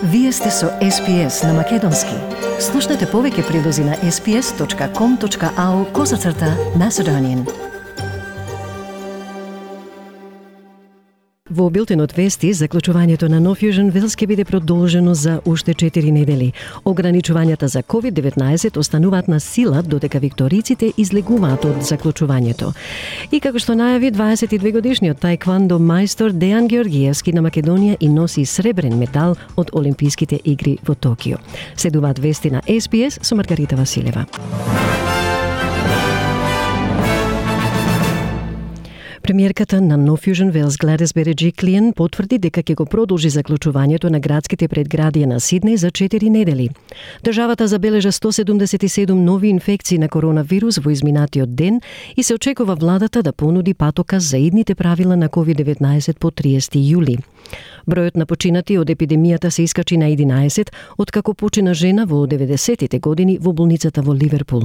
Вие сте со SPS на Македонски. Слушнете повеќе прилози на sps.com.au/Macedonian. Во билтенот вести, заклучувањето на No Fusion Wells ќе биде продолжено за уште 4 недели. Ограничувањата за COVID-19 остануваат на сила додека викториците излегуваат од заклучувањето. И како што најави 22-годишниот таеквондо мајстор Дејан Георгиевски на Македонија и носи сребрен медал од Олимписките игри во Токио. Следуваат вести на SPS со Маргарита Василева. Премиерката на No Fusion Wells Гледис Береджиклиен потврди дека ќе го продолжи заклучувањето на градските предградија на Сиднеј за 4 недели. Државата забележа 177 нови инфекции на коронавирус во изминатиот ден и се очекува владата да понуди патоказ за идните правила на COVID-19 по 30 јули. Бројот на починати од епидемијата се искачи на 11, откако почина жена во 90-тите години во болницата во Ливерпул.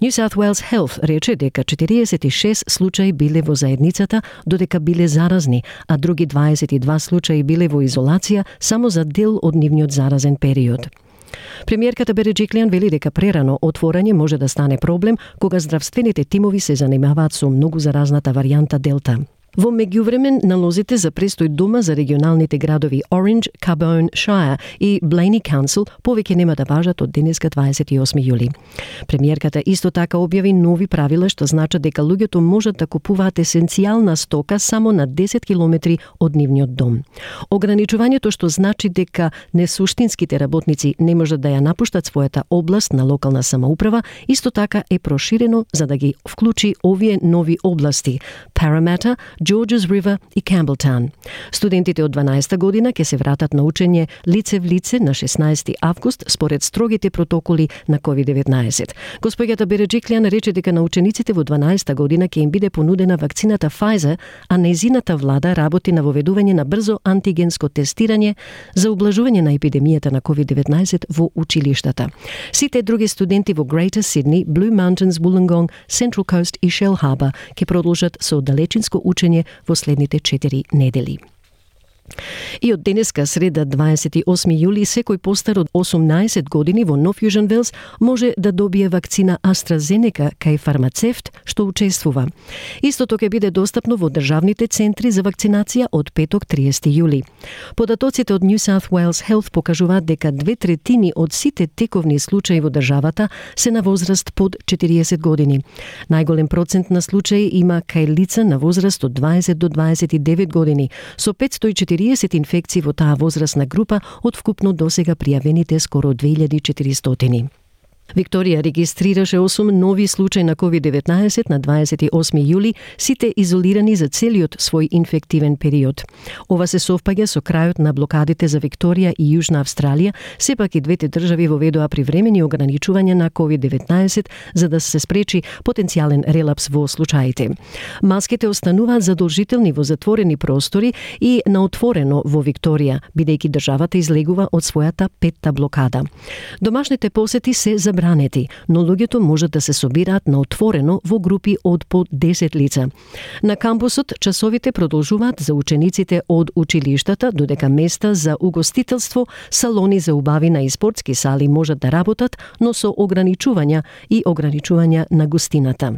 New South Wales Health рече дека 46 случаи биле во заедницата, додека биле заразни, а други 22 случаи биле во изолација само за дел од нивниот заразен период. Премиерката Береджиклиан вели дека прерано отворање може да стане проблем кога здравствените тимови се занимаваат со многу заразната варијанта Делта. Во меѓувреме, налозите за престој дома за регионалните градови Orange, Carbone Shire и Blaney Council повеќе нема да важат од денеска 28 јули. Премиерката исто така објави нови правила што значат дека луѓето можат да купуваат есенцијална стока само на 10 километри од нивниот дом. Ограничувањето што значи дека несуштинските работници не можат да ја напуштат својата област на локална самоуправа, исто така е проширено за да ги вклучи овие нови области: Parramatta, Georges River и Campbelltown. Студентите од 12-та година ќе се вратат на учење лице в лице на 16 август според строгите протоколи на COVID-19. Господјата Береджиклиан рече дека на учениците во 12-та година ќе им биде понудена вакцината Pfizer, а нејзината влада работи на воведување на брзо антигенско тестирање за ублажување на епидемијата на COVID-19 во училиштата. Сите други студенти во Greater Sydney, Blue Mountains, Wollongong, Central Coast и Shell Harbour ќе продолжат со далечинско учење во следните 4 недели. И од денеска, среда 28 јули, секој постар од 18 години во No Fusion Wells може да добие вакцина AstraZeneca кај фармацевт што учествува. Истото ќе биде достапно во државните центри за вакцинација од петок 30 јули. Податоците од New South Wales Health покажуваат дека 2/3 од сите тековни случаи во државата се на возраст под 40 години. Најголем процент на случаи има кај лица на возраст од 20 до 29 години, со 540 инфекции во таа возрастна група од вкупно досега пријавените скоро 2400. Викторија регистрираше 8 нови случаи на COVID-19 на 28 јули, сите изолирани за целиот свој инфективен период. Ова се совпаѓа со крајот на блокадите за Викторија и Јужна Австралија, сепак и двете држави воведоа привремени ограничувања на COVID-19 за да се спречи потенцијален релапс во случаите. Маските остануваат задолжителни во затворени простори и на отворено во Викторија, бидејќи државата излегува од својата 5-та блокада. Домашните посети се забранети, но луѓето можат да се собираат на отворено во групи од по 10 лица. На кампусот часовите продолжуваат за учениците од училиштата, додека места за угостителство, салони за убавина и спортски сали можат да работат, но со ограничувања на гостината.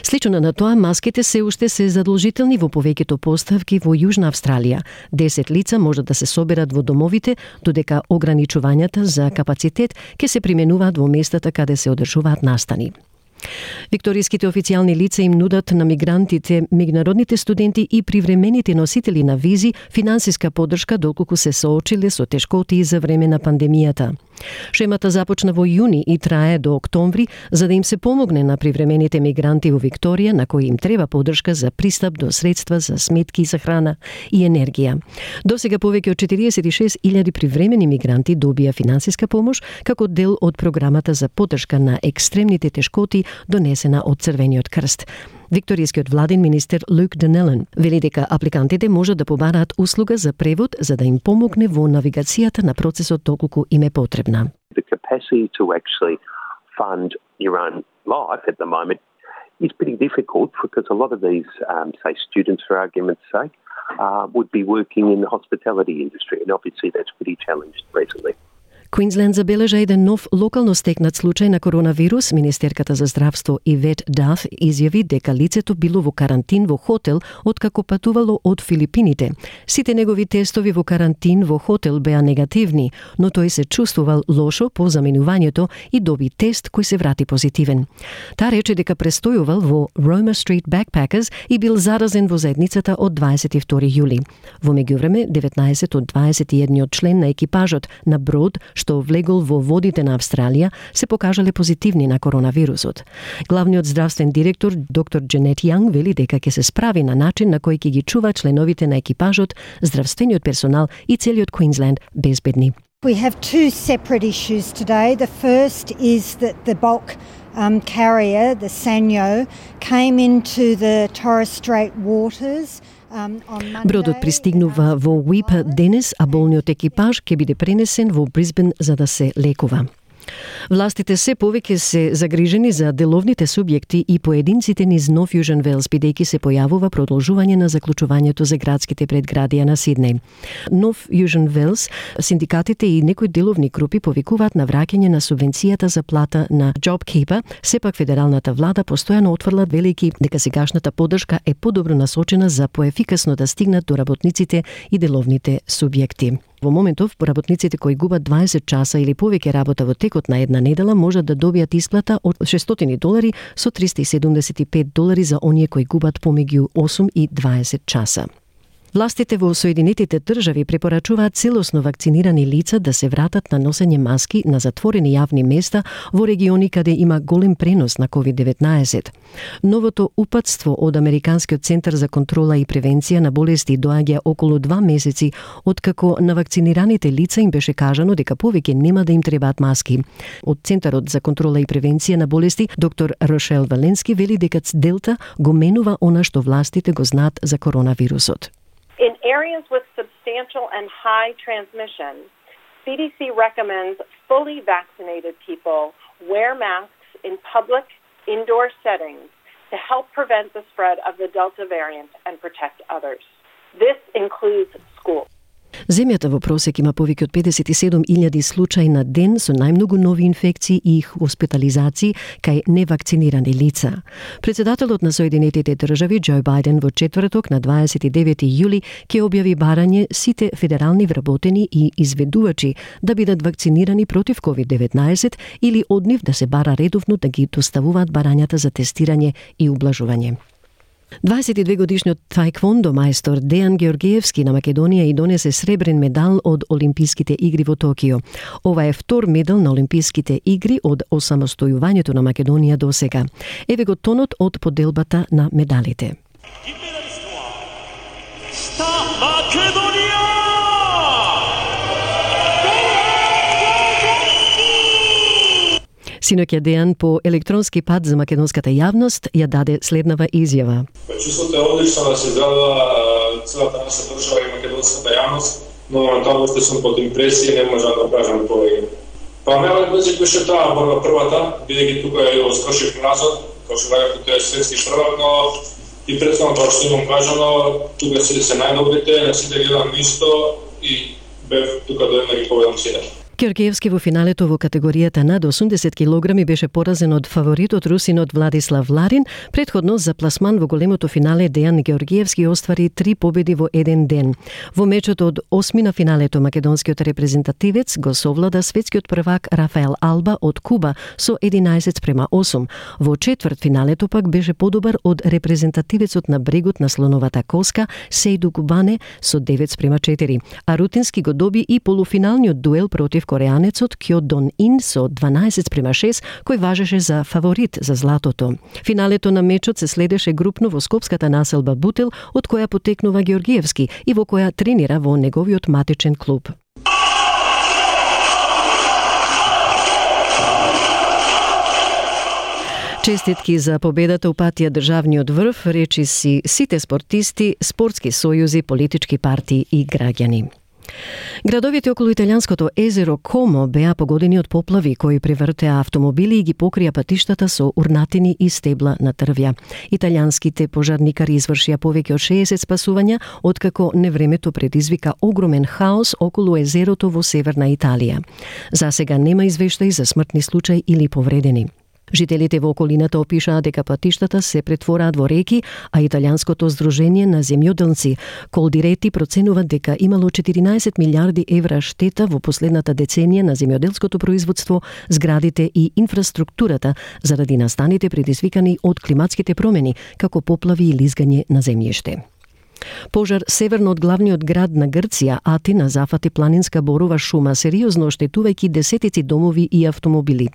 Слично на тоа, маските се уште се задолжителни во повеќето поставки во Јужна Австралија. 10 лица можат да се соберат во домовите, додека ограничувањата за капацитет ќе се применуваат во местата каде се одржуваат настани. Викториските официјални лица им нудат на мигрантите, меѓународните студенти и привремените носители на визи финансиска поддршка доколку се соочиле со тешкотии за време на пандемијата. Шемата започна во јуни и трае до октомври за да им се помогне на привремените мигранти во Викторија на кои им треба поддршка за пристап до средства за сметки за храна и енергија. Досега повеќе од 46.000 привремени мигранти добија финансиска помош како дел од програмата за поддршка на екстремните тешкоти донесена од Црвениот крст. Викторијскиот владин министер Люк Денелен вели дека апликантите можат да побараат услуга за превод за да им помогне во навигацијата на процесот доколку им е потребна. The capacity to actually fund your own life at the moment is pretty difficult because a lot of these, say, students, for argument's sake, would be working in the hospitality industry, and obviously that's pretty challenged recently. Квинсленд забележа еден нов локално стекнат случај на коронавирус. Министерката за здравство Ивет Даф изјави дека лицето било во карантин во хотел откако патувало од Филипините. Сите негови тестови во карантин во хотел беа негативни, но тој се чувствувал лошо по заминувањето и доби тест кој се врати позитивен. Таа рече дека престојувал во Roma Street Backpackers и бил заразен во заедницата од 22 јули. Во меѓувреме, 19 од 21 член на екипажот на брод што влегол во водите на Австралија, се покажале позитивни на коронавирусот. Главниот здравствен директор, доктор Дженет Јанг, вели дека ќе се справи на начин на кој ќе ги чува членовите на екипажот, здравствениот персонал и целиот Квинсленд безбедни. We have two separate issues today. The first is that the bulk carrier, the Sanyo, came into the Torres Strait waters. Бродот пристигнува во Уип денес, а болниот екипаж ќе биде пренесен во Брисбен за да се лекува. Властите се повеќе се загрижени за деловните субјекти и поединците низ Нов Јужен Велс, бидејќи се појавува продолжување на заклучувањето за градските предградија на Сиднеј. Нов Јужен Велс, синдикатите и некои деловни групи повикуваат на враќање на субвенцијата за плата на JobKeeper, сепак федералната влада постојано отврла велики дека сегашната поддршка е подобро насочена за поефикасно да стигнат до работниците и деловните субјекти. Во моментов, работниците кои губат 20 часа или повеќе работа во текот на една недела можат да добијат исплата од $600 со $375 за оние кои губат помеѓу 8 и 20 часа. Властите во Соединетите држави препорачуваат целосно вакцинирани лица да се вратат на носење маски на затворени јавни места во региони каде има голем пренос на COVID-19. Новото упатство од Американскиот центар за контрола и превенција на болести доаѓа околу 2 месеци откако на вакцинираните лица им беше кажано дека повеќе нема да им требаат маски. Од Центарот за контрола и превенција на болести доктор Рошел Валенски вели дека Делта го менува она што властите го знаат за коронавирусот. In areas with substantial and high transmission, CDC recommends fully vaccinated people wear masks in public indoor settings to help prevent the spread of the Delta variant and protect others. This includes schools. Земјата во просек има повеќе од 57.000 случаи на ден со најмногу нови инфекции и хоспитализации кај невакцинирани лица. Председателот на Соединетите држави Џо Бајден во четврток на 29 јули ќе објави барање сите федерални вработени и изведувачи да бидат вакцинирани против COVID-19 или од нив да се бара редовно да ги доставуваат барањата за тестирање и ублажување. 22-годишниот таеквондо мајстор Дејан Георгиевски на Македонија и донесе сребрен медал од Олимписките игри во Токио. Ова е втор медал на Олимписките игри од осамостојувањето на Македонија до сега. Еве го тонот од поделбата на медалите. Синоќа Дејан по електронски пат за македонската јавност ја даде следнава изјава. Чувството е одлично да се израдува целата наша држава и македонската јавност, но моментално што сум под импресија не можам да кажам повеќе. Па најлep беше беше таа борба првата, бидејќи тука ја скошив назад, како што кажав, тој е светски првак, но и претходно тоа што имам кажано, тука се најдобрите, на сите гледам исто и бев тука да ги победам сите. Георгиевски во финалето во категоријата над 80 килограми беше поразен од фаворитот русинот Владислав Ларин. Предходно за пласман во големото финале Дејан Георгиевски оствари 3 победи во еден ден. Во мечот од 8 на финалето македонскиот репрезентативец го совлада светскиот првак Рафаел Алба од Куба со 11:8. Во четврт финалето пак беше подобар од репрезентативецот на брегот на Слоновата коска Сејду Кубане со 9:4. А Рутински го доби и полуфиналниот дуел против кореанецот Кјо Дон Ин со 12:6, кој важеше за фаворит за златото. Финалето на мечот се следеше групно во скопската населба Бутел, од која потекнува Георгиевски и во која тренира во неговиот матичен клуб. Честитки за победата упатија државниот врв, речи си сите спортисти, спортски сојузи, политички партии и граѓани. Градовите околу италијанското езеро Комо беа погодени од поплави кои превртеа автомобили и ги покрија патиштата со урнатини и стебла на трвја. Италијанските пожарникари извршија повеќе од 60 спасувања, откако невремето предизвика огромен хаос околу езерото во северна Италија. За сега нема извештаи за смртни случаи или повредени. Жителите во околината опишаа дека патиштата се претвораат во реки, а италијанското здружение на земјоделци Колдирети проценуваат дека имало 14 милиарди евра штета во последната деценија на земјоделското производство, зградите и инфраструктурата заради настаните предизвикани од климатските промени, како поплави и лизгање на земјиште. Пожар северно од главниот град на Грција, Атина, зафати планинска борова шума, сериозно оштетувајќи десетици домови и автомобили.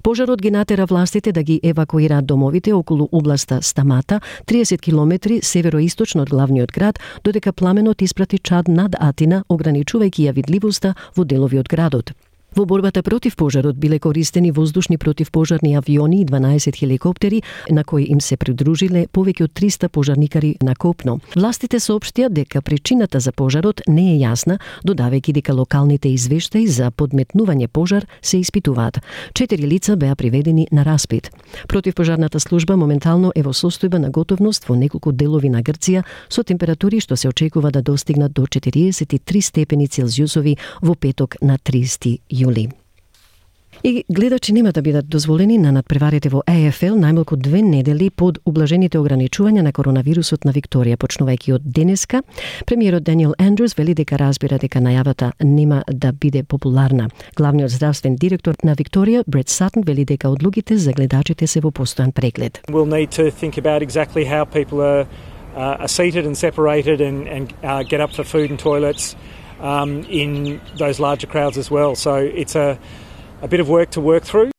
Пожарот ги натера властите да ги евакуираат домовите околу областа Стамата, 30 километри североисточно од главниот град, додека пламенот испрати чад над Атина, ограничувајќи ја видливоста во делови од градот. Во борбата против пожарот биле користени воздушни противпожарни авиони и 12 хеликоптери, на кои им се придружиле повеќе од 300 пожарникари на копно. Властите соопштија дека причината за пожарот не е јасна, додавајќи дека локалните извештаи за подметнување пожар се испитуваат. 4 лица беа приведени на распит. Противпожарната служба моментално е во состојба на готовност во неколку делови на Грција со температури што се очекува да достигнат до 43 степени Целзиусови во петок на 30 јули. И гледачи нема да бидат дозволени на надпреварите во ЕФЛ најмалку 2 недели под ублажените ограничувања на коронавирусот на Викторија, почнувајќи од денеска. Премиерот Даниел Андрус вели дека разбира дека најавата нема да биде популарна. Главниот здравствен директор на Викторија, Брет Сатон, вели дека одлугите за гледачите се во постојан преглед. We'll need to think about exactly how people are seated and separated and get up for food and toilets in those larger crowds as well. So it's a bit of work to work through.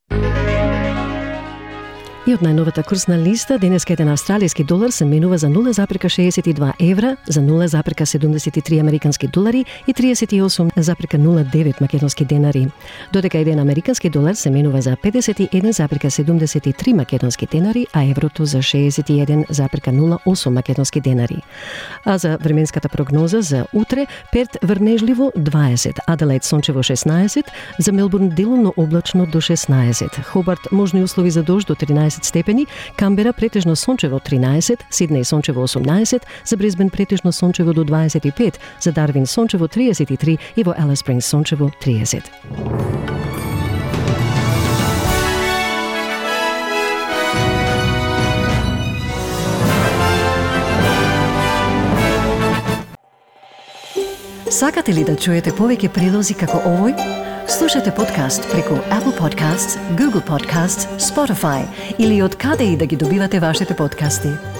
И од најновата курсна листа, денеска еден австралиски долар се менува за 0,62 евра, за 0,73 американски долари и 38,09 македонски денари. Додека еден американски долар се менува за 51,73 македонски денари, а еврото за 61,08 македонски денари. А за временската прогноза за утре, Перт врнежливо 20, Аделаид сончево 16, за Мелбурн делумно облачно до 16, Хобарт можни услови за дожд до 13 степени, Камбера претежно сончево 13, Сиднеј сончево 18, за Брисбен претежно сончево до 25, за Дарвин сончево 33 и во Алис Спрингс сончево 30. Сакате ли да чуете повеќе прилози како овој? Слушате подкаст преку Apple Podcasts, Google Podcasts, Spotify или од каде и да ги добивате вашите подкасти.